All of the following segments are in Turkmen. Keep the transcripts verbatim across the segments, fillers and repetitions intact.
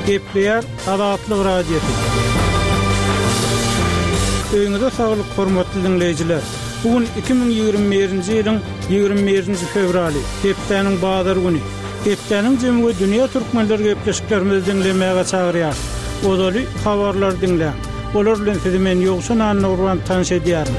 Gepleýär Azatlyk Radiosy. Öýüňize saglyk, hormatly diňleýjiler! Bu gün iki müň ýigrimi birinji ýylyň ýigrimi birinji fewraly, hepdäniň bazar güni. Hepdäniň jemi we dünýä türkmenleri gepleşiklerimizi diňlemäge çagyrýar. Ozaly habarlary diňläň. Olar bilen sizi men Ýowşan Annagurban tanyş edýärin.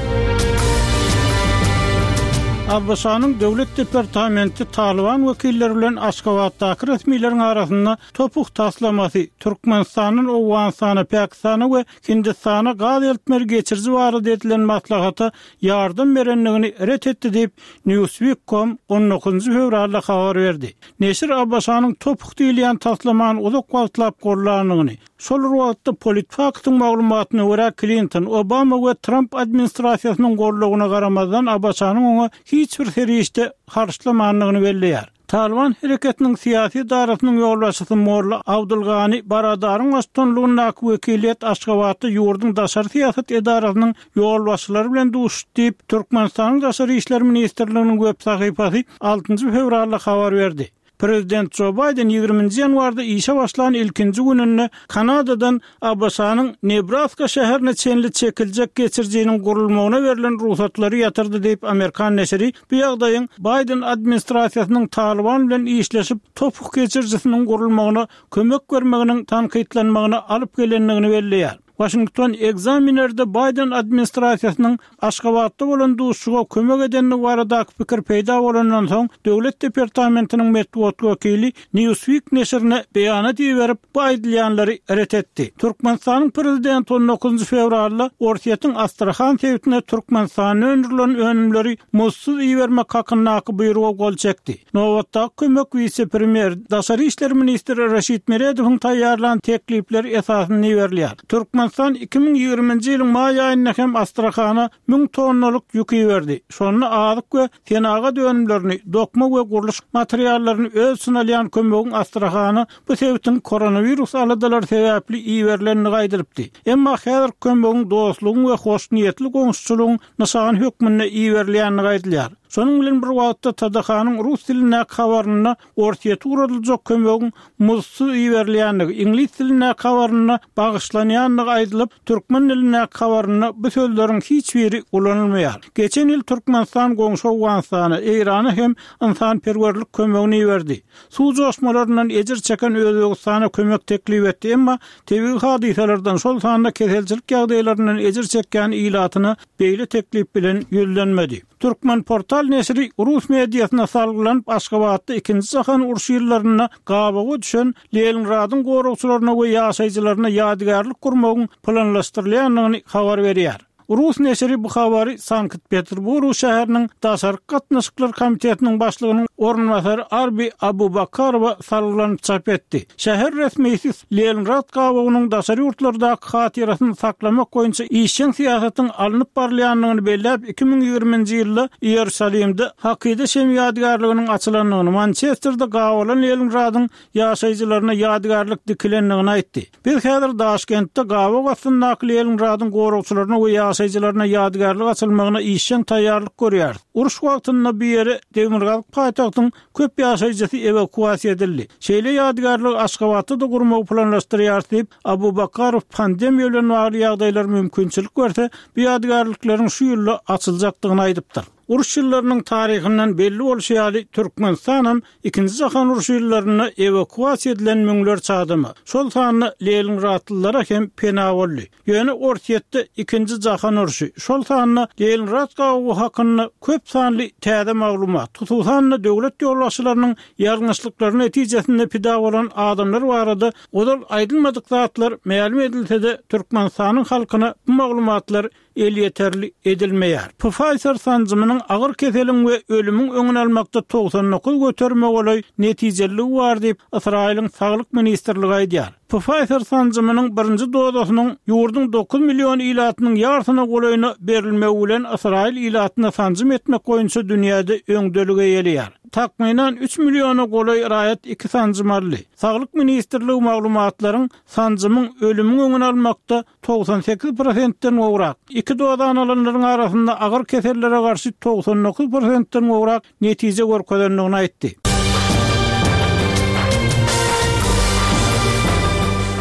ABŞ-nyň Döwlet departamenti Talyban wekilleri bilen Aşgabatdaky resmileriň arasynda TOPH taslamasy, Türkmenistandan Owganystana, Pakistana we Hindistana gaz eltmeli geçiriji barada edilen maslahata ýardam berendigini ret etdi diýip, Newsweek. Com on dokuzynjy fewralda habar berdi. Neşir ABŞ-nyň TOPH diýilýän taslamany uzak wagtlap gollandygyny, şol bir wagtda PolitiFact-yň maglumatyna görä, Klinton, Obama we Tramp administrasiýasynyň goldawyna garamazdan ABŞ-nyň oňa hiç bir serişde harçlamandygyny belleýär. Talyban hereketiniň syýasy edarasynyň ýolbaşçysy Molla Abdulgani Baradaryň baştutanlygyndaky wekiliýet Aşgabatda ýurduň daşary syýasat edarasynyň ýolbaşçylary bilen duşuşdy diýip, Türkmenistanyň Daşary işler ministrliginiň web sahypasy altynjy fewralda habar berdi. Prezident Jo Baýden ýigriminji ýanwarda işe başlan ilkinji gününde Kanadadan ABŞ-nyň Nebraska şäherine çenli çekiljek geçirijiniň gurulmagyna berlen rugsatlary ýatyrdy diýip, amerikan neşiri bu ýagdaýyň Baýden administrasiýasynyň Talyban bilen işleşip, topuk geçirijisiniň gurulmagyna kömek bermeginiň tankytlanmagyna alyp gelendigini belleýär. Waşington Examiner-de Baýden administrasiýasynyň Aşgabatda bolan duşuşyga kömek edendigi baradaky pikir peýda bolandan soň, Döwlet departamentiniň metbugat wekili Newsweek neşirine beýanat iberip, bu aýdylýanlary ret etdi. Türkmenistanyň prezidenti on dokuzynjy fewralda Orsýetiň Astrahan sebitine Türkmenistanda öndürilen önümleri muzdsuz ibermek hakyndaky buýruga gol çekdi. Nobatdaky kömek wise-premýer, daşary işler ministri Reşit Meredowyň taýýarlan teklipleri esasynda iberilýär. Türkmenistan iki müň ýigriminji ýylyň maý aýynda hem Astrahana müň tonnalyk ýük iberdi. Şonda azyk we senagat önümlerini, dokma we gurluşyk materiallaryny öz içine alýan kömegiň Astrahana bu sebitiň koronawirus aladalary sebäpli iberilendigi aýdylypdy. Emma häzir kömegiň dostlugyň we hoşniýetli goňşuçylygyň nyşany hökmünde iberilýändigi aýdylýar. Şonuň bilen bir wagtda T D H-nyň rus dilindäki habarynda Orsýete ugradyljak kömegiň muzdsuz iberilýändigi, iňlis dilindäki habarynda bagyşlanýandygy aýdylyp, türkmen dilindäki habarynda bu sözleriň hiç biri ulanylmaýar. Geçen ýyl Türkmenistan goňşy Owganystana, Eýrana hem ynsanperwerlik kömegini iberdi. Suw joşmalaryndan ejir çeken Özbegistana kömek teklip etdi, emma tebigy hadysalardan, şol sanda keselçilik ýagdaýlaryndan ejir çekýän ilatyna beýle teklip bilen ýüzlenmedi. Türkmenportal neşiri rus mediasyna salgylanyp, Aşgabatda Ikinji jahan urşy ýyllarynda gabawa düşen Leningradyň goragçylaryna we ýaşaýjylaryna ýadygärlik gurmagyň planlaşdyrylýandygyny habar berýär. Rus neşiri bu habary Sankt-Peterburg şäheriniň Daşarky gatnaşyklar komitetiniň başlygynyň orunbasary Arbi Abubakarowa salgylanyp çap etdi. Şäher resmisi Leningrad gabawynyň daşary ýurtlardaky hatyrasyny saklamak boýunça işjeň syýasatyň alnyp barylýandygyny belläp, iki müň ýigriminji ýylda Iýerusalimde Hakyda şemi ýadygärliginiň açylandygyny, Mançesterde gabalan Leningradyň ýaşaýjylaryna ýadygärlik dikilendigini aýtdy. Biz häzir Daşkentde gabaw astyndaky Leningradyň goragçylaryna we ýaşaýjylaryna ýadygärlik açylmagyna işjeň taýýarlyk görýäris. Uruş wagtynda bu ýere demirgazyk paýtagtyň köp ýaşaýjysy ewakuasiýa edildi. Şeýle ýadygärligi Aşgabatda-da gurmagy planlaşdyrýarys diýip, Abubakarow pandemiýa bilen bagly ýagdaýlar mümkinçilik berse, bu ýadygärlikleriň şu ýylda açyljakdygyny aýdypdyr. Uruş ýyllarynyň taryhyndan belli bolşy ýaly, Türkmenistanam Ikinji jahan urşy ýyllarynda ewakuasiýa edilen müňlerçe adama, şol sanda leningradlylara hem pena boldy. Ýöne Orsýetde Ikinji jahan urşy, şol sanda Leningrad gabawy hakynda köp sanly täze maglumat, hususan-da döwlet ýolbaşçylarynyň ýalňyşlyklary netijesinde pida bolan adamlar barada ozal aýdylmadyk zatlar mälim edilse-de, Türkmenistanyň halkyna bu maglumatlar elýeterli edilmeýär. Pfizer sanjymynyň agyr keseliň we ölümiň öňüni almakda togsan dokuz göterime golaý netijeliligi bar diýip, Ysraýylyň Saglyk ministrligi aýdýar. Pfizer sanjymynyň birinji dozasynyň ýurduň dokuz million ilatynyň ýarsyna golaýyna berilmegi bilen Ysraýyl ilatyna sanjym etmek boýunça dünýäde öňdeligi eýeleýär. Takmynan üç milliona golaý raýat iki sanjym aldy. Saglyk ministrligi maglumatlaryň sanjymyň ölümiň öňüni almakda togsan sekiz prosentden gowrak, iki dozany alanlaryň arasynda agyr kesellere garşy togsan dokuz prosentden gowrak netije görkezendigini aýtdy.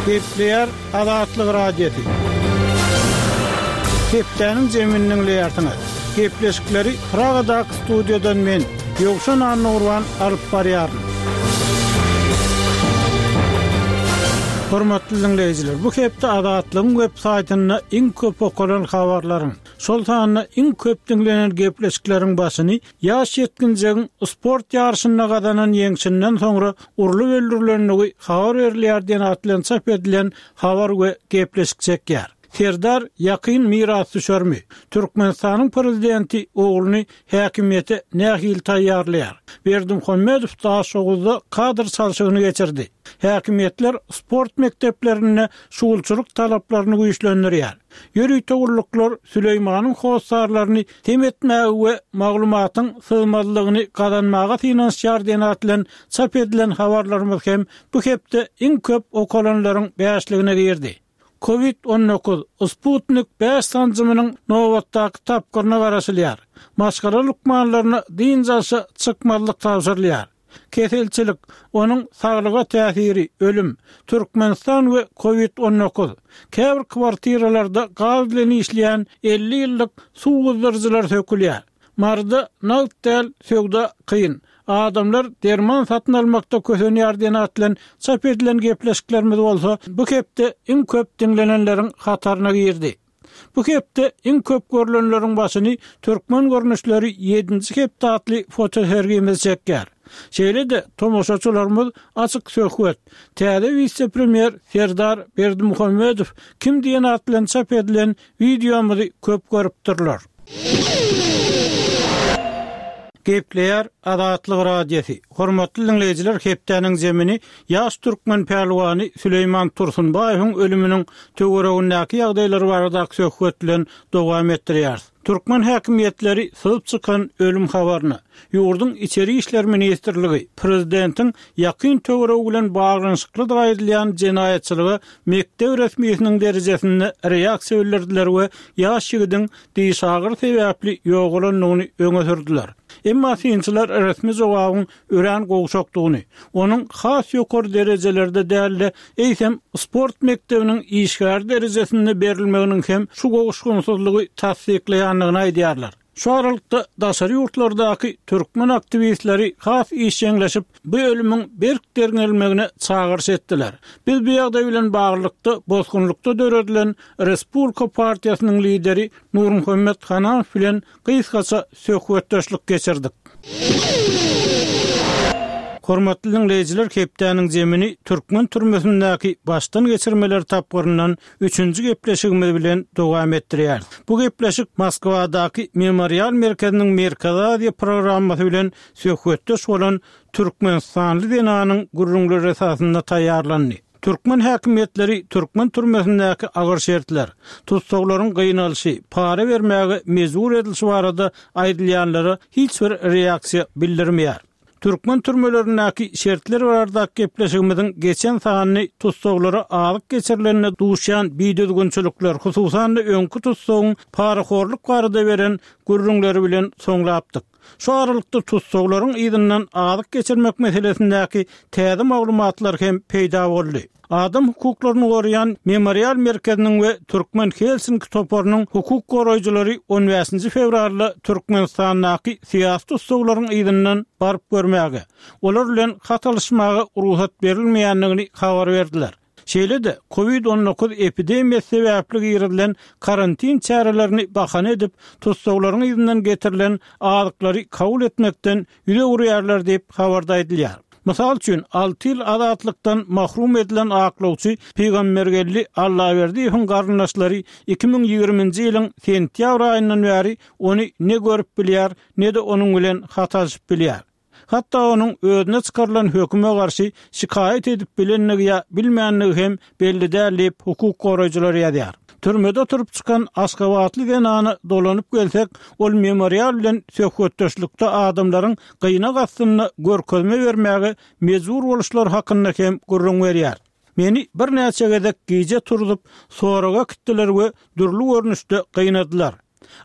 Gepleýär Azatlyk Radiosy. Hepdäniň jemini diňleýärsiňiz. Gepleşikleri Pragadaky studiýadan men, Ýowşan Annagurban alyp barýaryn. Hormatly diňleýjiler, bu hepde Azatlygyň web saýtynda iň köp okalan habarlaryň, şol sanda iň köp diňlenen gepleşikleriň başyny ýaş ýetginjegiň sport ýaryşynda gazanan ýeňşinden soňra urlup öldürilendigi habar berilýär diýen at bilen çap edilen habar we gepleşik çekýär. Serdar ýakyn mirasdüşermi? Türkmenistanyň prezidenti ogluny häkimiýete nähili taýýarlaýar? Berdimuhamedow Daşoguzda kadr çalşygyny geçirdi. Häkimiýetler sport mekdeplerinde şugulçylyk talaplaryny güýçlendirýär. Ýörite gulluklar Süleýmanyň hossarlaryny sem etmäge we maglumatyň syzmazlygyny gazanmaga synanyşýar diýen at bilen çap edilen habarlarymyz hem bu hepde iň köp okalanlaryň bäşligine girdi. Covid on dokuz, Sputnik bäş sanjymynyň nobatdaky tapgyryna garaşylýar. Maşgala lukmanlaryna dynç alşa çykmazlyk tabşyrylýar. Keselçilik, onuň saglyga täsiri, ölüm, Türkmenistan we Covid on dokuz. Käbir kwartiralarda gaz bilen işleýän elli ýyllyk suw gyzdyryjylar sökülýär. Maryda nagt däl söwda kyn. Adamlar derman satyn almakda kösenýär diýen at bilen çap edilen gepleşiklerimiz bolsa bu hepde iň köp diňlenenleriň hataryna girdi. Bu hepde iň köp görülenleriň başyny Türkmen görnüşleri ýedinji hepde atly fotosergimiz çekýär. Şeýle-de tomaşaçylarymyz açyk söhbet, täze wise-premýer Serdar Berdimuhamedow kim diýen at bilen çap edilen wideomyzy köp görüpdirler. Gepleýär Azatlyk Radiosy. Hormatly diňleýjiler, hepdäniň zemini ýaş türkmen pälwany Süleýman Tursunbaýewiň ölüminiň töweregindäki ýagdaýlar baradaky söhbet bilen dowam etdirýäris. Türkmen häkimiýetleri syzyp çykan ölüm habaryny ýurduň Içeri işler ministrligi prezidentiň ýakyn töweregi bilen baglanyşyklydygy aýdylýan jenaýatçylyga mekdep resmisiniň derejesinde reaksiýa bildirdiler we ýaş ýigidiň diş agyry sebäpli ýogalandygyny öňe sürdüler. Emma synçylar resmi jogabyň örän gowşakdygyny, onuň has ýokary derejelerde däl-de, eýsem sport mekdebiniň işgär derejesinde berilmeginiň hem şu gowuşgynsyzlygy tassyklaýandygyny aýdýarlar. Şu aralykda daşary ýurtlardaky türkmen aktiwistleri has işjeňleşip, bu ölümiň berk derňelmegine çagyryş etdiler. Biz bu ýagdaý bilen baglylykda bosgunlykda döredilen Respublika partiýasynyň lideri Nurmuhammet Hananow bilen gysgaça söhbetdeşlik geçirdik. Hormatly diňleýjiler, hepdäniň zemini türkmen türmesindäki başdan geçirmeler tapgyryndan üçünji gepleşigimiz bilen dowam etdirýär. Bu gepleşik Moskwadaky Memorial merkeziniň Merkezi Aziýa programmasy bilen söhbetdeş bolan Türkmenistanly zenanyň gürrüňleri esasynda taýýarlandy. Türkmen häkimiýetleri türkmen türmesindäki agyr şertler, tussaglaryň gynalyşy, para bermäge mejbur edilişi barada aýdylýanlara hiç bir reaksiýa bildirmeýär. Türkmen türmelerindäki şertler baradaky gepleşigimiziň geçen sanyny tussaglara azyk geçirilenine duşýan bidüzgünçilikler, hususan-da öňki tussagyň parahorluk barada beren gürrüňleri bilen soňlapdyk. Şu aralykda tussaglaryň yzyndan azyk geçirmek meselesindäki täze maglumatlar hem peýda boldy. Adam hukuklaryny goraýan Memorial merkeziniň we Türkmen Helsinki toparynyň hukuk goraýjylary on bäşinji fewralda Türkmenistandaky syýasy tussaglaryň yzyndan baryp görmäge, olar bilen hat alyşmaga rugsat berilmeýändigini habar berdiler. Şeýle-de Covid on dokuz epidemiýasy sebäpli girizilen karantin çärelerini bahana edip, tussaglaryň yzyndan getirilen azyklary kabul etmekden ýüz öwürýärler diýip habarda aýdylýar. Mysal üçin, alty ýyl azatlykdan mahrum edilen aklawçy Pygambergeldi Allaberdiýewiň garyndaşlary iki müň ýigriminji ýylyň sentýabr aýyndan bäri ony ne görüp bilýär, ne-de onuň bilen hat alşyp bilýär. Hatda onuň özüne çykarylan höküme garşy şikaýat edip bilendigi ýa bilmändigi hem belli däl diýip hukuk goraýjylar ýazýar. Türmede oturyp çykan Aşgabatly zenana dolanyp gelsek, ol memorial bilen söhbetdeşlikde adamlaryň gynak astynda görkezme bermäge mejbur boluşlary hakynda hem gürrüň berýär. Meni birnäçe gezek gije turzup, soraga äkitdiler we dürli görnüşde gynadylar.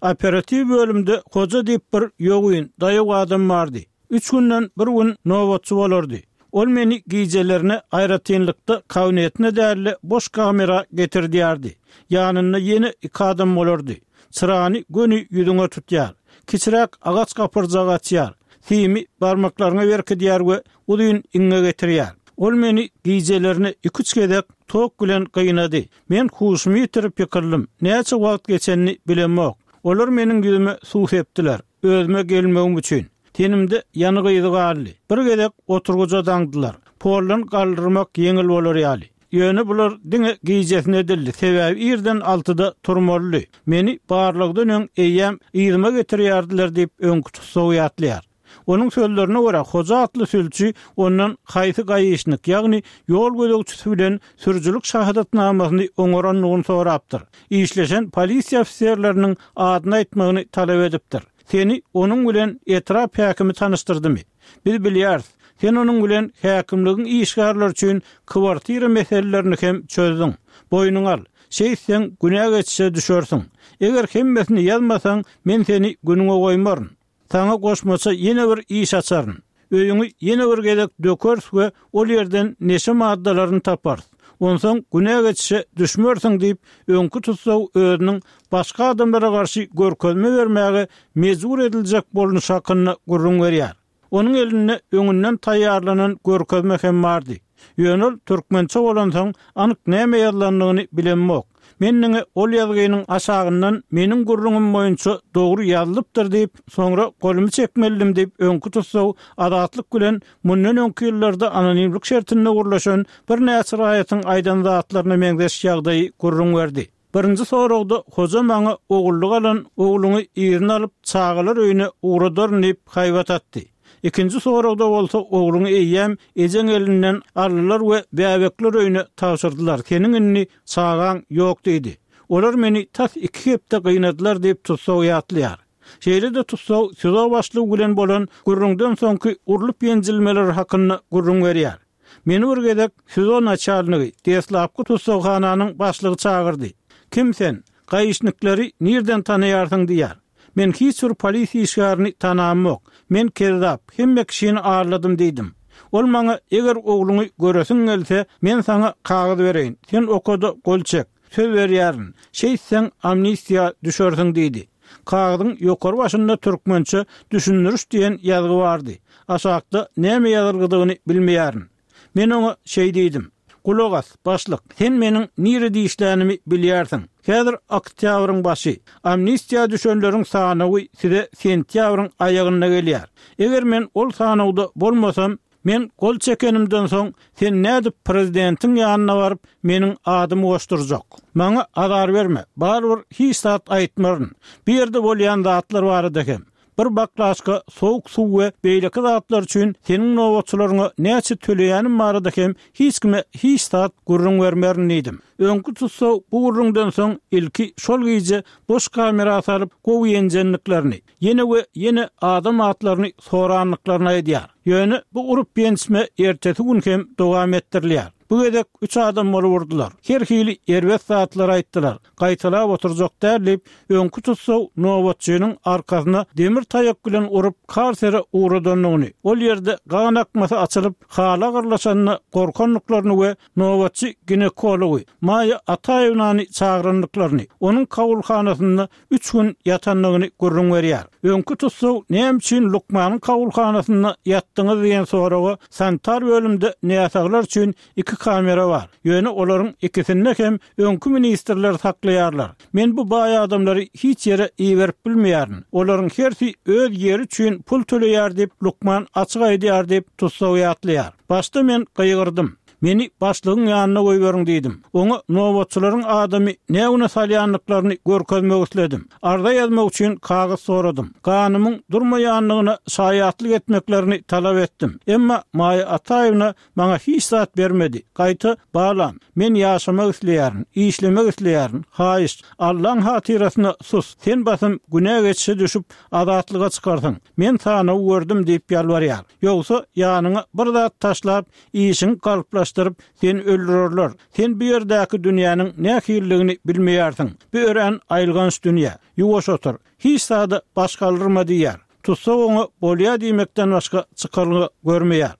Operatiw bölümde hoja diýip bir ýogyn, daýaw adam bardy. Üç günden bir gün nobatçy bolardy. Ol meni gijelerine aýratynlykda kabinetine däl-de boş kamera getirdýärdi. Ýanynda ýene iki adam bolardy. Çyrany göni ýüzüňe tutýar. Kiçiräk agaç gapyrjagy açýar. Simi barmaklaryňa berkidýär we uzyn iňňe getirýär. Ol meni gijelerine iki-üç gezek tok bilen gynady. Men huşumy ýitirip ýykyldym. Näçe wagt geçenini bilemok. Olar meniň ýüzüme suw sepdiler. Özüme gelmegim üçin. Tenimde ýanyk yzy galdy. Bir gezek oturgyja daňdylar. Poldan galdyrmak ýeňil bolar ýaly. Ýöne bular diňe gijesine edildi. Sebäbi irden altyda turmalydy. Meni barlagdan öň eýýäm yzyma getirýärdiler diýip öňki tussag ýatlaýar. Onuň sözlerine görä, Hoja atly sülçi ondan haýsy gaýyşnyk, ýagny ýol gözegçisi bilen sürüjilik şahadatnamasyny oňarandygyny sorapdyr. Işleşen polisiýa ofiserleriniň adyny aýtmagyny talap edipdir. Seni onuň bilen etrap häkimi tanyşdyrdymy? Biz bilýäris, sen onuň bilen häkimligiň işgärleri üçin kwartira meselelerini hem çözdüň. Boýnuňa al, şeýtseň günä geçişe düşersiň. Eger hemmesini ýazmasaň, men seni günüňe goýmaryn. Saňa goşmaça ýene bir iş açaryn. Öýüňi ýene bir gezek dökeris we ol ýerden neşe maddalaryny taparys. Onsoň günä geçişe düşmersiň diýip, öňki tussag özüniň başga adamlara garşy görkezme bermäge mejbur ediljek bolnuş hakynda gürrüň berýär. Onuň elinde öňünden taýýarlanan görkezme hem bardy. Ýöne ol türkmençe bolansoň anyk näme ýazylandygyny bilemok. Men diňe ol ýazgynyň aşagyndan meniň gürrüňim boýunça dogry ýazylypdyr diýip, soňra golumy çekmelidim diýip, öňki tussag Azatlyk bilen mundan öňki ýyllarda anonimlik şertinde gürleşen birnäçe raýatyň aýdan zatlaryna meňzeş ýagdaýy gürrüň berdi. Birinji soragda hoja maňa ogullyk alan ogluňy yzyna alyp çagalar öýüne ugradaryn diýip haýbat atdy. Ikinji soragda bolsa ogluňy eýýäm ejeň elinden aldylar we bäbekler öýüne tabşyrdylar, seniň indi çagaň ýok diýdi. Olar meni tas iki hepde gynadylar diýip tussag ýatlaýar. Şeýle-de tussag SİZO başlygy bilen bolan gürrüňden soňky urlup-ýenjilmeler hakynda gürrüň berýär. Meni bir gezek SİZO naçalnigi, deslapky tussaghananyň başlygy çagyrdy. Kim sen? Gaýyşnikleri nirden tanaýarsyň diýýär. Men hiç bir polisiýa işgärini tanamok. Men kezzap, hemme kişini aldadym diýdim. Ol maňa eger ogluňy göresiň gelse, men saňa kagyz bereýin, sen okada gol çek, söz berýärin, şeýtseň amnistiýa düşersiň diýdi. Kagyzyň ýokary başynda türkmençe düşündiriş diýen ýazgy bardy. Aşakda näme ýazylgydygyny bilmeýärin. Men oňa şeý diýdim. Gulak as, başlyk, sen meniň nirede işlänimi bilýärsiň. Häzir oktýabryň başy. Amnistiýa düşenleriň sanawy size sentýabryň aýagynda gelýär. Eger men ol sanawda bolmasam, men gol çekenimden soň sen nädip prezidentiň ýanyna baryp meniň adymy goşdurjak? Maňa azar berme, barybir hiç zat aýtmaryn. Bu ýerde bolýan zatlar barada hem. Bir baklaşka sowuk suw we beýleki zatlar üçin seniň nobatçylaryňa näçe töleýänim barada hem hiç kime hiç zat gürrüň bermerin diýdim. Öňki tussag bu gürrüňden soň ilki şol gije boş kamera salyp gowy ýenjenliklerini, ýene we ýene adam atlaryny soranlyklaryny aýdýar. Ýöne bu urup-ýençme ertesi gün hem dowam etdirilýär. Bu gezek üç adam bolup urdular. Her hili erbet zatlar aýtdylar. Gaýtalap oturjak däl diýip, öňki tussag nobatçynyň arkasyna demir taýak bilen urup, karsere ugradandygyny, ol ýerde gan akmasy açylyp, haly agyrlaşanda gorkandyklaryny we nobatçy ginekology Maýa Ataýewnany çagyrandyklaryny, onuň kabulhanasynda üç gün ýatandygyny gürrüň berýär. Öňki tussag näme üçin lukmanyň kabulhanasynda ýatdyňyz diýen soraga sanitar bölümde näsaglar üçin iki kamera bar. Ýöne olaryň ikisinde hem öňki ministrler saklaýarlar. Men bu baý adamlary hiç ýere iberip bilmeýärin. Olaryň hersi öz ýeri üçin pul töleýär diýip, lukman açyk aýdýar diýip, tussag ýatlaýar. Başda men gygyrdym. Meni başlygyň ýanyna goýberiň diýdim. Oňa nobatçylaryň adamy nä güne salýandyklaryny görkezmek isledim. Arza ýazmak üçin kagyz soradym. Ganymyň durmaýandygyna şaýatlyk etmeklerini talap etdim. Emma Maýa Ataýewna maňa hiç zat bermedi. Gaýta, Balam, men ýaşamak isleýärin, işlemek isleýärin. Haýyşt, Allaň hatyrasyna sus, sen basym günä geçişe düşüp, azatlyga çykarsyň. Men sanawy gördüm diýip ýalbarýar. Ýogsa, ýanyňa bir zat taşlap, işiňi galplaşdyryp, seni öldürerler. Sen bu ýerdäki dünýäniň nähilidigini bilmeýärsiň. Bu örän aýylganç dünýä. Ýuwaş otur. Hiç zada baş galdyrma diýýär. Tussag oňa bolýa diýmekden başga çykalga görmeýär.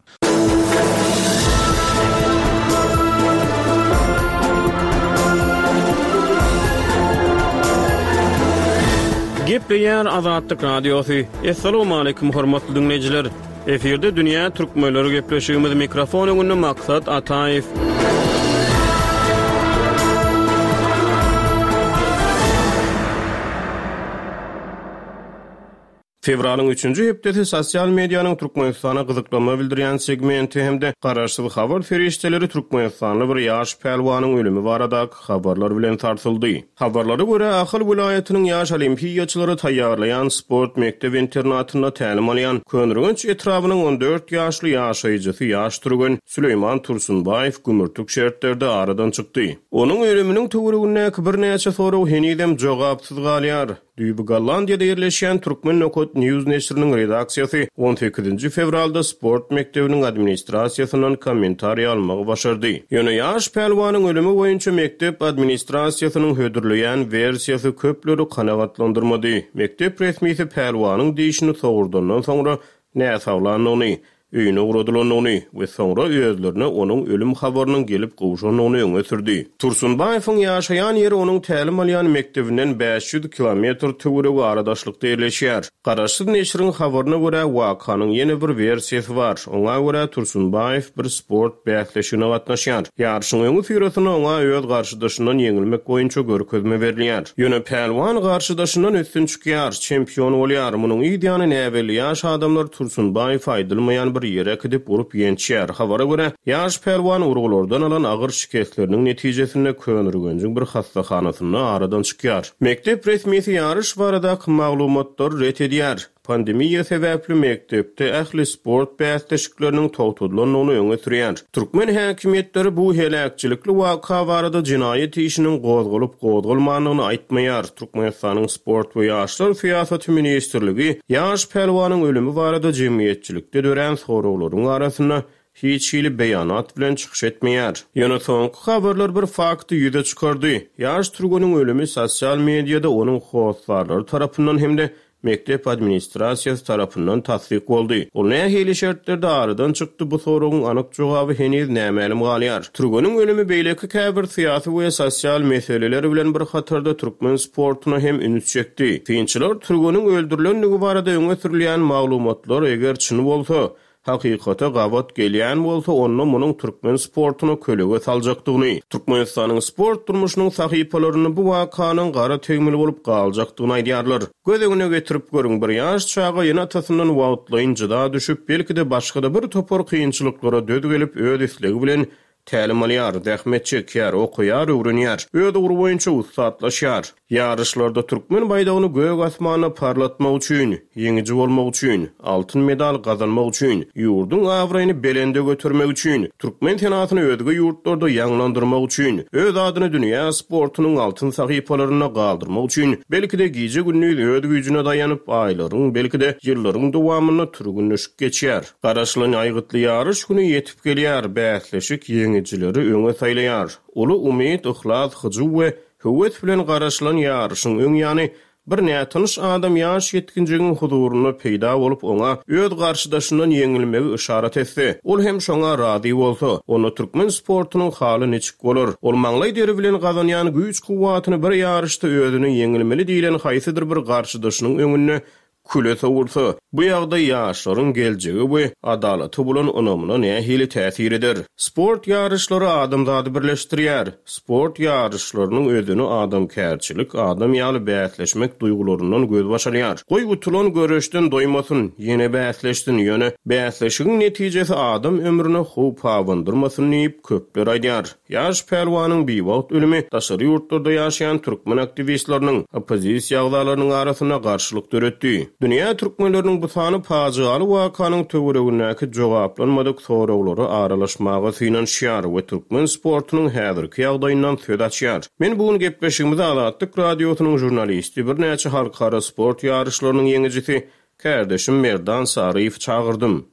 Gepleýär Azatlyk Radiosy. Assalamualaikum hormatly dinleýjiler. Efirde Dünýä Türkmenleri gepleşigimiz mikrofon öňünde Maksat Ataýew. Fewralyň üçünji hepdesi sosial medianyň Türkmenistana gyzyklanma bildirýän segmenti hem-de garaşsyz habar serişdeleri Türkmenistanly bir ýaş pälwanyň ölümi baradaky habarlar bilen sarsyldy. Habarlara görä, Ahal welaýatynyň ýaş olimpiýaçylary taýýarlaýan sport mekdep internatynda tälim alýan Köneürgenç etrabynyň on dört ýaşly ýaşaýjysy ýaş türgen Süleýman Tursunbaýew gümürtik şertlerde aradan çykdy. Onuň ölüminiň töweregindäki birnäçe sorag henizem jogapsyz galýar. Düýbi Gollandiýada ýerleşýän Türkmen Nokat News neşiriniň redaksiýasy on sekizinji fewralda sport mekdebiniň administrasiýasyndan kommentariý almagy başardy. Ýöne ýaş pälwanyň ölümi boýunça mekdep administrasiýasynyň hödürleýän wersiýasy köpleri kanagatlandyrmady. Mekdep resmisi pälwanyň dişini sogurdandan soňra näsaglandygyny, öýüne ugradylandygyny we soňra özlerine onuň ölüm habarynyň gelip gowşandygyny öňe sürdi. Tursunbaýewiň ýaşaýan ýeri onuň tälim alýan mekdebinden bäş ýüz kilometr töweregi aradaşlykda ýerleşýär. Garaşsyz neşiriň habaryna görä, wakanyň ýene bir wersiýasy bar. Oňa görä Tursunbaýew bir sport bäsleşigine gatnaşýar. Ýaryşyň öňi syrasynda oňa öz garşydaşyndan ýeňilmek boýunça görkezme berilýär. Ýöne pälwan garşydaşyndan üstün çykýar, çempion bolýar. Munuň ýany näbelli ýaş adamlar Tursunbaýew aýdylmaýan bir ýere gidip urup ýençýär. Habara görä, ýaş pälwan urgulardan alan agyr şikesleriniň netijesinde Köneürgenjiň bir hastahanasynda aradan çykýar. Mekdep resmisi ýaryş baradaky maglumatlary ret edýär. Pandemiýa sebäpli mekdepde ähli sport bäsleşikleriniň togtadylandygyny öňe sürýär. Türkmen häkimiýetleri bu heläkçilikli waka barada jenaýat işiniň gozgalyp gozgalmandygyny aýtmaýar. Türkmenistanyň Sport we Ýaşlar Syýasaty Ministrligi ýaş pälwanyň ölümi barada jemgyýetçilikde dörän soraglaryň arasynda hiç hili beýanat bilen çykyş etmeýär. Ýöne soňky habarlar bir fakty ýüze çykardy. Ýaş türgeniň ölümi sosial mediada onuň hossarlary tarapyndan hem-de mekdep administrasiýasy tarapyndan tassyk boldy. Ol nähili şertlerde aradan çykdy, bu soragyň anyk jogaby heniz nämälim galýar. Türgeniň ölümi beýleki käbir syýasy we sosial meseleler bilen bir hatarda türkmen sportuna hem üns çekdi. Synçylar türgeniň öldürilendigi barada öňe sürülýän maglumatlar eger çyn bolsa, hakykata gabat gelýän bolsa, onda munuň türkmen sportuna kölege saljakdygyny, Türkmenistanyň sport durmuşynyň sahypalaryny bu wakanyň gara tegmili bolup galjakdygyny aýdýarlar. Göz öňüne getirip görüň, bir ýaş çaga ýene atasyndan wagtlaýyn jyda düşüp, belki-de başga-da bir topar kynçylyklara döz gelip, öz islegi bilen tälim alýar, zähmet çekýär, okaýar, öwrenýär, öz ugry boýunça ussatlaşýar. Ýaryşlarda türkmen baýdagyny gök asmanda parlatmak üçin, ýeňiji bolmak üçin, altyn medal gazanmak üçin, ýurduň abraýyny belende götermek üçin, türkmen senatyny özge ýurtlarda ýaňlandyrmak üçin, öz adyny dünýä sportunyň altyn sahypalarynda galdyrmak üçin, belki-de gije-gündiz öz güýjüne daýanyp, aýlaryň, belki-de ýyllaryň dowamynda türgünleşip geçýär. Garaşylan aýgytly ýaryş güni ýetip gelýär, bäsleşik ýeňijileri öňe saýlaýar. Uly umyt, yhlas, hyjuw we höwes bilen garaşylan ýaryşyň öň ýany bir nätanyş adam ýaş ýetginjigiň huzurynda peýda bolup, oňa öz garşydaşyndan ýeňilmegi yşarat etse, ol hem şoňa razy bolsa, onda türkmen sportunyň haly niçik bolar? Ol maňlaý deri bilen gazanýan güýç kuwwatyny bir ýaryşda özüni ýeňilmeli diýlen haýsydyr bir garşydaşynyň öňünde küle sowursa, bu ýagdaý ýaşlaryň geljegi we adalaty bolan ynamyna nähili täsir eder? Sport ýaryşlary adamzady birleşdirýär. Sport ýaryşlarynyň özüni adamkärçilik, adam ýaly bäsleşmek duýgularyndan gözbaş alýar. Goý utulan göreşden doýmasyn, ýene bäsleşsin, ýöne bäsleşigiň netijesi adam ömrüne howp abandyrmasyn diýip köpler aýdýar. Ýaş pälwanyň biwagt ölümi daşary ýurtlarda ýaşaýan türkmen aktiwistleriniň, oppozisiýa agzalarynyň arasynda garşylyk döretdi. Dünýä türkmenleriniň bu sany pajygaly wakanyň töweregindäki jogaplanmadyk soraglara aralaşmaga synanyşýar we türkmen sportunyň häzirki ýagdaýyndan söz açýar. Men bu gün gepleşigimizi Azatlyk radiosynyň žurnalisti, birnäçe halkara sport ýaryşlarynyň ýeňijisi kärdeşim Merdan Saryýew çagyrdym.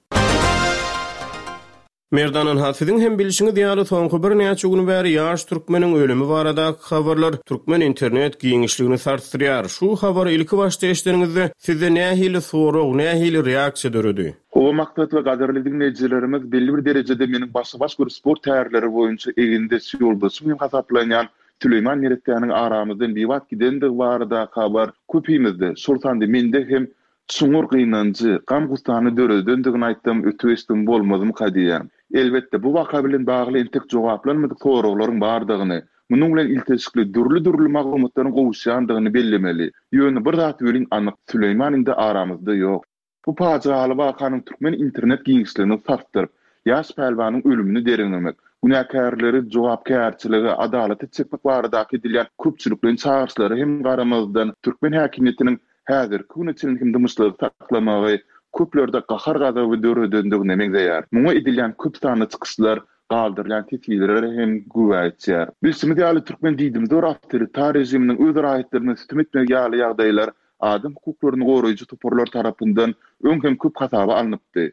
Merdan, ynha, siziň hem bilşiňiz ýaly, soňky birnäçe gün bäri ýaş türkmeniň ölümi baradaky habarlar türkmen internet giňişligini sarsdyrýar. Şu habary ilki başda eşideniňizde sizde nähili sorag, nähili reaksiýa döredi? Hawa, Maksat we gadyrly diňleýjilerimiz, belli bir derejede meniň başa-baş görüş sport tärleri boýunça egindeş ýoldaşym hem hasaplanýan Süleýman neressäniň aramyzdan biwagt gidendigi baradaky habar köpimizde, şol sanda mende hem çuňňur gynanjy, gam-gussany döredendigini aýtsam öte geçdigim bolmazmyka diýýän. Elbetde, bu waka bilen bagly entek jogaplanmadyk soraglaryň bardygyny, munuň bilen ilteşikli dürli-dürli maglumatlaryň gowuşýandygyny bellemeli. Ýöne bir zat welin anyk, Süleýman indi aramyzda ýok. Bu pajygaly wakanyň türkmen internet giňişligini sarsdyryp, ýaş pälwanyň ölümini derňemek, günäkärleri jogapkärçilige, adalata çekmek baradaky edilýän köpçülikleýin çagyryşlara hem garamazdan, türkmen häkimiýetiniň häzirki güne çenli hem dymyşlygy saklamagy köplerde gahar-gazaby döredendigine meňzeýär. Muňa edilýän köp sanly çykyşlar, galdyrylýan teswirler hem güwä geçýär. Bilşimiz ýaly, türkmen diýdimzor awtoritar režiminiň öz raýatlaryna sütem etmegi ýaly ýagdaýlar adam hukuklaryny goraýjy toparlar tarapyndan öň hem köp hasaba alnypdy.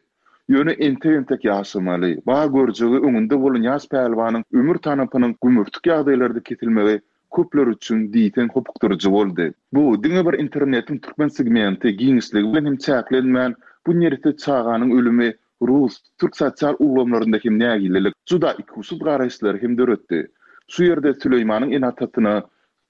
Ýöne entek-entek ýaşamaly, bar görjegi öňünde bolan ýaş pälwanyň ömür tanapynyň gümürtik ýagdaýlarda kesilmegi köpler üçin diýseň hopukdyryjy boldy. Bu, diňe bir internetiň türkmen segmenti, giňişligi bilen hem çäklenmän, bu neresse çaganyň ölümi rus, türk sosial ulgamlarynda hem nägilelik, juda ikuçsuz garaýyşlary hem döretdi. Şu ýerde Süleýmanyň ene-atasyna,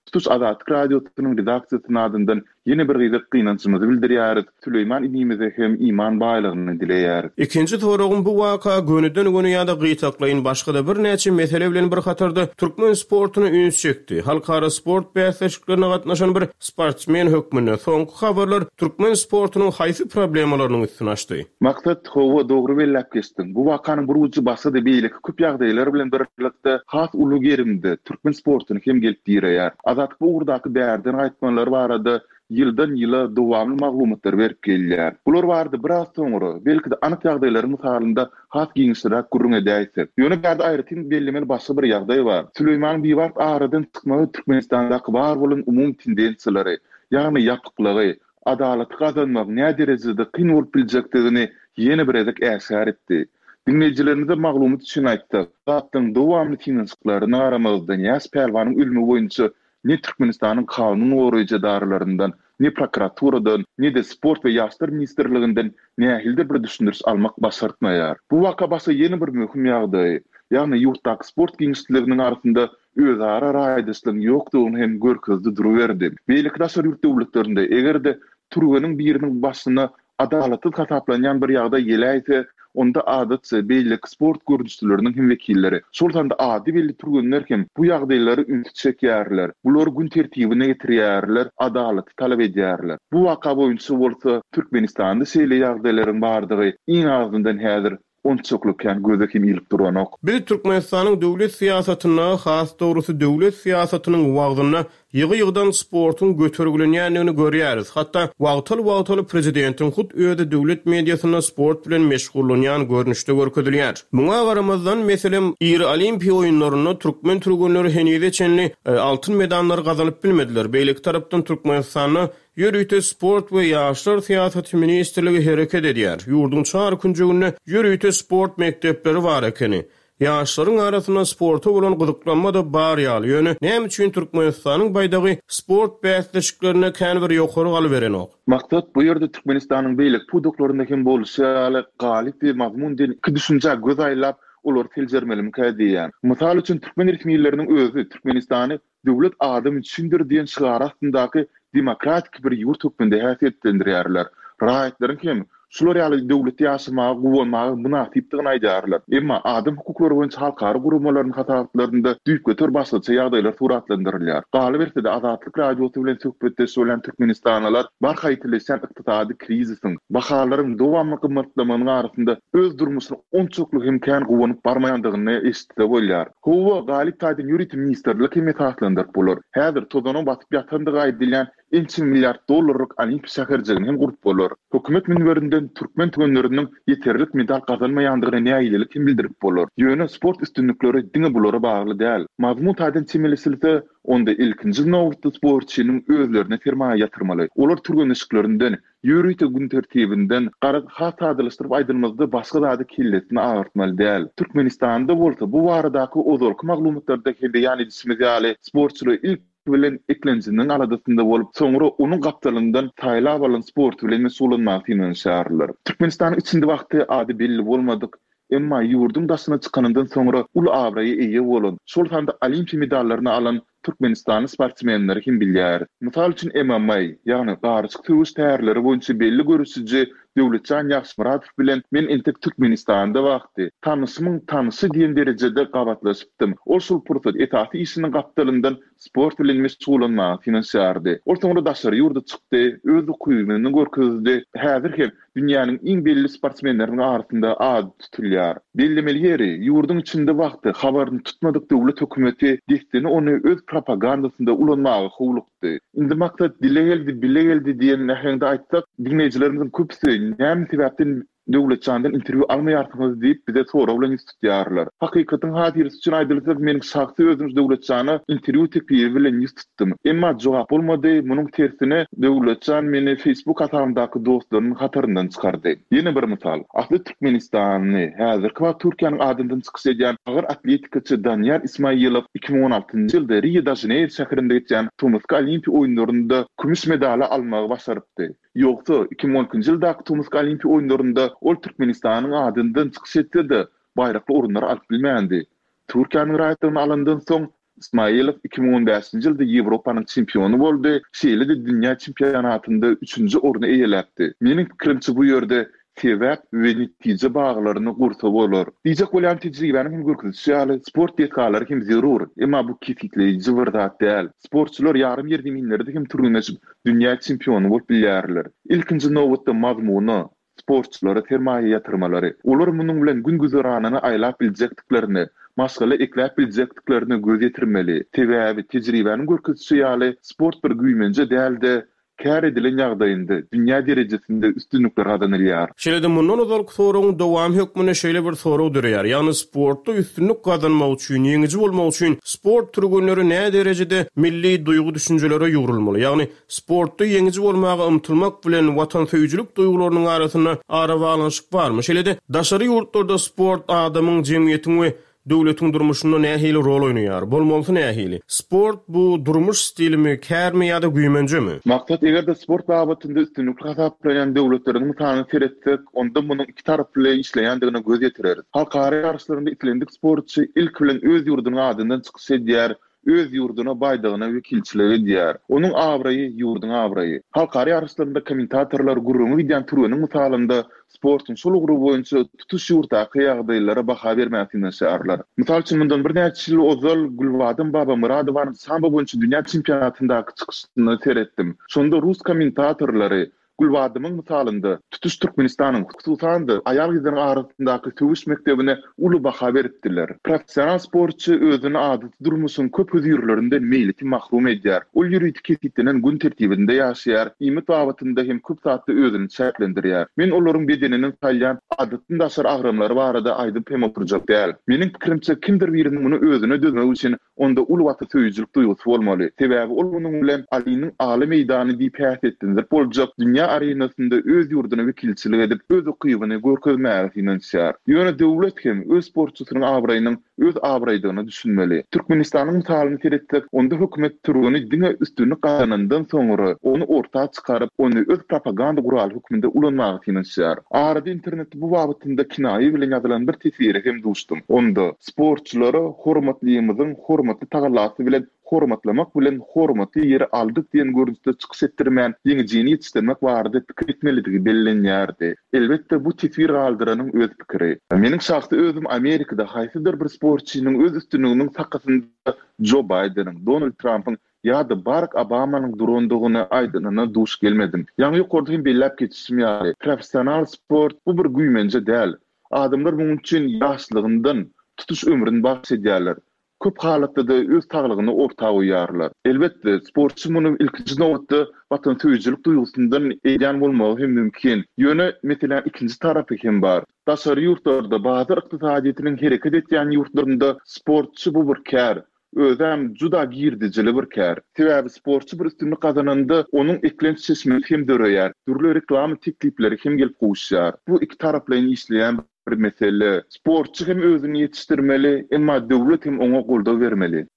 Tutuş Azatlyk Radiosynyň redaksiýasynyň adyndan ýene bir gezek gynanjymyzy bildirýäris, Süleýman inimize hem iman baýlygyny dileýäris. Ikinji soragym, bu waka gönüden-göni ýa-da gytaklaýyn başga-da birnäçe mesele bilen bir hatarda türkmen sportuna üns çekdi. Halkara sport bäsleşiklerine gatnaşan bir sportsmen hökmünde soňky habarlar türkmen sportunyň haýsy problemalarynyň üstüni açdy? Maksat, hawa, dogry belläp geçdiň. Bu wakanyň bir ujy başga-da beýleki köp ýagdaýlar bilen birlikde has uly gerimde türkmen sportuny hem gelip direýär. Azatlyk bu ugurdaky bärden gaýtmalar barada ýyldan-ýyla dowamly maglumatlary berip gelýär. Bular barada biraz soňra, belki-de anyk ýagdaýlaryň mysalynda has giňişliräk gürrüň edäýsek. Ýöne bärde aýratyn bellemeli başga bir ýagdaý bar. Süleýmanyň biwagt aradan çykmagy Türkmenistandaky bar bolan umumy tendensiýalary, ýagny ýapyklygy, adalaty gazanmagyň näderejede kyn bolup biljekdigini ýene bir gezek äşgär etdi. Diňleýjilerimize maglumat üçin aýtsak, Azatlygyň dowamly synanyşyklaryna garamazdan, ýaş pälwanyň ölümi boýunça ne Türkmenistanyň kanun goraýjy edaralaryndan, ne prokuraturadan, ne-de Sport we ýaşlar ministrliginden nähilidir bir düşündiriş almak başartmaýar. Bu waka başga ýene bir möhüm ýagdaýy, ýagny ýurtdaky sport giňişliginiň arasynda özara raýdaşlygyň ýokdugyny hem görkezdi duruberdi. Beýleki daşary ýurt döwletlerinde eger-de türgeniň biriniň başyna adalatsyz hasaplanýan bir ýagdaý geläýse, onda adatça beýleki sport görnüşleriniň hem wekilleri, şol sanda ady belli türgenler hem bu ýagdaýlara ünsi çekýärler, bulary gün tertibine getirýärler, adalaty talap edýärler. Bu waka boýunça bolsa Türkmenistanda şeýle ýagdaýlaryň bardygy iň azyndan häzir onçakly kän göze hem ilip duranok. Biz Türkmenistanyň döwlet syýasatynda, has dogrusy döwlet syýasatynyň wagzynda ýygy-ýygydan sportuň götergilenýändigini görýäris. Hatda wagtal-wagtal prezidentiň hut özi döwlet mediasynda sport bilen meşgullanýan görnüşde görkezilýär. Muňa garamazdan, meselem, iri Olimpiýa oýunlarynda türkmen türgenleri henize çenli altyn medallary gazanyp bilmediler. Beýleki tarapdan Türkmenistanda ýörite sport we ýaşlar syýasaty ministrligi hereket edýär. Ýurduň çar künjeginde ýörite sport mekdepleri bar ekeni. Ýaşlaryň arasynda sporta bolan gyzyklanma-da bar ýaly. Ýöne näme üçin Türkmenistanyň baýdagy sport bäsleşiklerinde kän bir ýokary galyberenok? Maksat, bu ýerde Türkmenistanyň beýleki pudaklarynda hem bolşy ýaly galyp we mazmun diýen iki düşünjä göz aýlap, olary seljermelimikä diýýän. Mysal üçin, türkmen resmileriniň özi Türkmenistany Döwlet adam üçindir diýen şygary astyndaky demokratik bir ýurt hökmünde häsiýetlendirýärler. Raýatlaryň hem şular ýaly döwletde ýaşamaga, guwanmaga mynasypdygyny aýdýarlar. Emma adam hukuklary boýunça halkara guramalarynyň hasabatlarynda düýpgöter başgaça ýagdaýlar suratlandyrylýar. Galyberse-de, Azatlyk Radiosy bilen söhbetdeş bolýan türkmenistanlylar barha ýitileşýän ykdysady krizisiň, bahalaryň dowamly gymmatlamagynyň arasynda öz durmuşyna onçakly hem kän guwanyp barmaýandygyny eşitse bolýar. Hawa, galyp taýdan ýörite ministrlik hem esaslandyryp bolar. Häzir tozana batyp ýatandygy aýdylýan ençeme milliard dollarlyk Olimpiýa şäherjigini hem gurup bolar. Hökümet münberinden türkmen türgenleriniň ýeterlik medal gazanmaýandygyna nägilelik hem bildirip bolar. Ýöne sport üstünlikleri diňe bulara bagly däl. Mazmun taýdan çemeleşilse, onda ilkinji nobatda sportçynyň özlerine sermaýa ýatyrmaly. Olar türgenleşiklerinden, ýörite gün tertibinden, garaz, has sadalaşdyryp aýdylmazda başga zady kellesini agyrtmaly däl. Türkmenistanda bolsa bu baradaky ozalky maglumatlarda hem beýan edişimiz ýaly, sportçylar ilki bilen eklenjiniň aladasynda bolup, soňra onuň gapdalyndan saýlap alan sporty bilen meşgullanmaga synanyşýarlar. Türkmenistanyň içinde wagty ady belli bolmadyk, emma ýurduň daşyna çykanyndan soňra uly abraýa eýe bolan, şol sanda olimpiýa medallaryny alan türkmenistanly sportsmenleri hem bilýäris. Mysal üçin M M A, ýagny garyşyk söweş tärleri boýunça belli göreşiji Döwletjan Ýagşymyradow bilen men entek Türkmenistanda wagty tanyşymyň tanyşy diýen derejede gabatlaşypdym. Ol şol pursat esasy işiniň gapdalyndan sport bilen meşgullanmaga synanyşýardy. Ol soňra daşary ýurda çykdy, öz ukybyny görkezdi. Häzir hem dünýäniň iň belli sportsmenleriniň arasynda ady tutulýar. Bellemeli ýeri, ýurduň içinde wagty habaryny tutmadyk döwlet hökümeti dessine ony öz propagandasynda ulanmaga howlukdy. Indi maksat dile geldi, bile geldi diýen äheňde aýtsak, diňleýjilerimiziň köpüsi näme sebäpden Döwletjandan interwýu almaýarsyňyz diýip bize sorag bilen ýüz tutýarlar. Hakykatyň hatyrasy üçin aýdylsa, meniň şahsy özüm Döwletjana interwýu teklibi bilen ýüz tutdum. Emma jogap bolmady, munuň tersine Döwletjan meni Facebook hasabymdaky dostlarynyň hataryndan çykardy. Ýene bir mysal. Asly türkmenistanly, häzirki wagt Türkiýäniň adyndan çykyş edýän agyr atletikaçy Daniýar Ismaýylow iki müň on altynjy ýylda Rio-de-Žaneýro şäherinde geçýän tomusky Olimpiýa oýunlarynda kümüş medaly almagy başarypdy. Ýogsa, iki müň on ikinji ýyldaky tomusky Olimpiýa oýunlarynda ol Türkmenistanyň adyndan çykyş etse-de, baýrakly orunlary alyp bilmändi. Türkiýäniň raýatlygyny alandan soň, Ismaýylow iki müň on bäşinji ýylda Ýewropanyň çempiony boldy, şeýle-de dünýä çempionatynda üçünji orny eýeläpdi. Meniň pikirimçe, bu ýerde sebäp we netije baglaryny gursa bolar. Diýjek bolýan tejribäniň hem görkezişi ýaly, sport desgalary hem zerur, emma bu kesgitleýji bir zat däl. Sportçylar ýarym ýerzeminlerde hem türgenleşip, dünýä çempiony bolup bilýärler. Ilkinji nobatda mazmuna, sportçylara sermaýa ýatyrmalary. Olar munuň bilen gün güzeranyny aýlap biljekdiklerini, maşgala ekläp biljekdiklerine göz ýetirmeli. Sebäbi tejribäniň görkezişi ýaly, sport bir güýmenje däl-de, kär edilen ýagdaýynda dünýä derejesinde üstünlikler gazanylýar. Şeýle-de mundan ozalky soragyň dowamy hökmünde şeýle bir sorag döreýär. Ýagny sportda üstünlik gazanmak üçin, ýeňiji bolmak üçin sport türgenleri näme derejede milli duýgy düşünjelere ýugrulmaly? Ýagny sportda ýeňiji bolmaga ymtylmak bilen watansöýüjilik duýgularynyň arasynda arabaglanyşyk barmy? Şeýle-de daşary ýurtlarda sport adamyň, jemgyýetiň we döwletiň durmuşynda nähili rol oýnaýar? Bolmalysy nähili? Sport bu durmuş stilimi, kärmi ýa-da güýmenjemi? Maksat eger-de sport babatynda üstünlikli hasaplaýan döwletleriň mysalyny seretsek, onda munuň iki taraply işleýändigine göz ýetireris. Halkara ýaryşlarynda islendik sportçy ilki bilen öz ýurdunyň adyndan çykyş edýär, öz ýurduna baýdagyna wekilçilik edýär. Onuň abraýy ýurduň abraýy. Halkara ýaryşlarynda kommentatorlar gürrüňi gidýän türgeniň mysalynda sportuň şol ugry boýunça tutuş ýurtdaky ýagdaýlara baha bermäge synanyşýarlar. Mysal üçin mundan birnäçe ýyl ozal Gülbadam Babamyradowanyň sambo boýunça dünýä çempionatyndaky çykyşyna seretdim. Şonda rus kommentatorlary Gülbadamyň mysalynda tutuş Türkmenistanyň, hususan-da aýal-gyzlaryň arasyndaky söweş mekdebine uly baha beripdiler. Professional sportçy özüni adaty durmuşyň köp hözirlerinden meýleti mahrum edýär. Ol ýörite kesgitlenen gün tertibinde ýaşaýar, iýmit babatynda hem köp zatda özüni çäklendirýär. Men olaryň bedeniniň salýan adatdan daşary agramlary barada aýdyp hem oturjak däl. Meniň pikirimçe kimdir biriniň muny özüne dözmek üçin onda uly watansöýüjilik duýgusy bolmaly. Sebäbi ol munuň bilen Aliniň aly meýdany diýip häsiýetlendirip boljak dünýä arenasynda öz ýurduna wekilçilik edip, öz ukybyny görkezmäge synanyşýar. Ýöne döwlet hem öz sportçysynyň abraýynyň öz abraýdygyna düşünmeli. Türkmenistanyň mysalyny seretsek, onda hökümet türgeni diňe üstünlik gazanandan soňra ony orta çykaryp, ony öz propaganda guraly hökmünde ulanmaga synanyşýar. Arada internetde bu babatynda kinaýa bilen ýazylan bir teswire hem duşdum. Onda sportçylara hormatlymyzyň hormatly tagallasy bilen hormatlamak bilen hormatly ýeri aldyk diýen görnüşde çykyş etdirmän, ýeňijini ýetişdirmek barada pikir etmelidigi bellenýärdi. Elbetde bu teswir galdyranyň öz pikiri. Meniň şahsy özüm Amerikada haýsydyr bir sportçynyň öz üstünliginiň sakasynda Joe Bideniň, Donald Trumpyň ýa-da Barack Obamanyň durandygyny aýdanyna duş gelmedim. Ýaňy ýokarda hem belläp geçişim ýaly, professional sport bu bir güýmenje däl. Adamlar munuň üçin ýaşlygyndan tutuş ömrüni bagyş edýärler. Köp halatda-da öz saglygyny orta goýýarlar. Elbetde, sportçy muny ilkinji nobatda watansöýüjilik duýgusyndan edýän bolmagy hem mümkin. Ýöne meseläniň ikinji tarapy hem bar. Daşary ýurtlarda, bazar ykdysadyýetiniň hereket etýän ýurtlarynda sportçy bu bir kär. Özem juda girdejili bir kär. Sebäbi sportçy bir üstünlik gazananda, onuň eklenç çeşmesi hem döreýär, dürli reklama teklipleri hem gelip gowuşýar. Bu iki taraplaýyn işleýän bir mesele. Sportçy hem özüni ýetişdirmeli, emma döwlet hem oňa goldaw bermeli.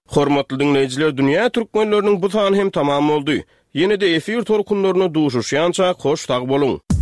Hormatly diňleýjiler, Dünýä türkmenleriniň bu sany hem tamam boldy. Ýene-de efir tolkunlarynda duşuşýançak hoş sag boluň!